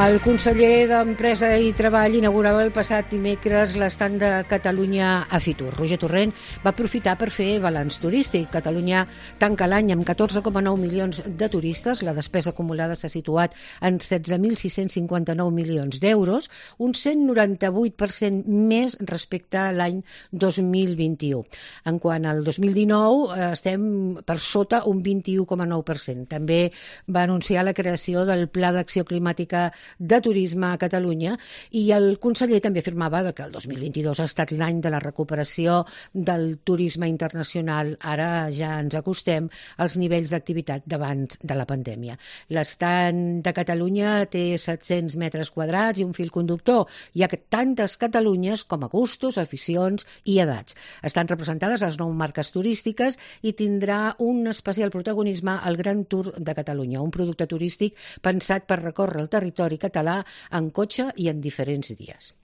El conseller d'Empresa i Treball inaugurava el passat dimecres l'estand de Catalunya a Fitur. Roger Torrent va aprofitar per fer balanç turístic. Catalunya tanca l'any amb 14,9 milions de turistes. La despesa acumulada s'ha situat en 16.659 milions d'euros, un 198% més respecte a l'any 2021. En quant al 2019, estem per sota un 21,9%. També va anunciar la creació del Pla d'Acció Climàtica de Turisme a Catalunya i el conseller també afirmava que el 2022 ha estat l'any de la recuperació del turisme internacional. Ara ja ens acostem als nivells d'activitat d'abans de la pandèmia. L'estand de Catalunya té 700 metres quadrats i un fil conductor. Hi ha tantes Catalunyes com a gustos, aficions i edats. Estan representades les 9 marques turístiques i tindrà un especial protagonisme al Gran Tour de Catalunya, un producte turístic pensat per recórrer el territori català en cotxe i en diferents dies.